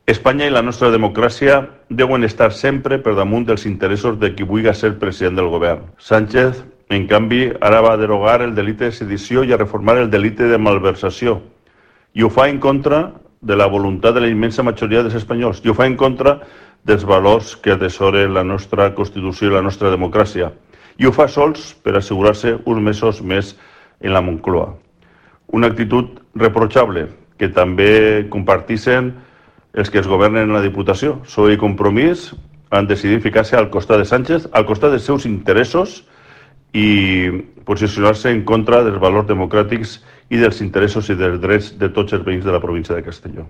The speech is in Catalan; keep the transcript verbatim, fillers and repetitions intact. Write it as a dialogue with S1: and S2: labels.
S1: Espanya i la nostra democràcia deuen estar sempre per damunt dels interessos de qui vulgui ser president del govern. Sánchez, en canvi, ara va derogar el delicte de sedició i a reformar el delicte de malversació. I ho fa en contra de la voluntat de la immensa majoria dels espanyols. I ho fa en contra dels valors que atesoren la nostra Constitució i la nostra democràcia. I ho fa sols per assegurar-se uns mesos més en la Moncloa. Una actitud reprochable que també comparteixen els que es governen en la Diputació. P S O E i Compromís han decidit ficar-se al costat de Sánchez, al costat dels seus interessos i posicionar-se en contra dels valors democràtics i dels interessos i dels drets de tots els veïns de la província de Castelló.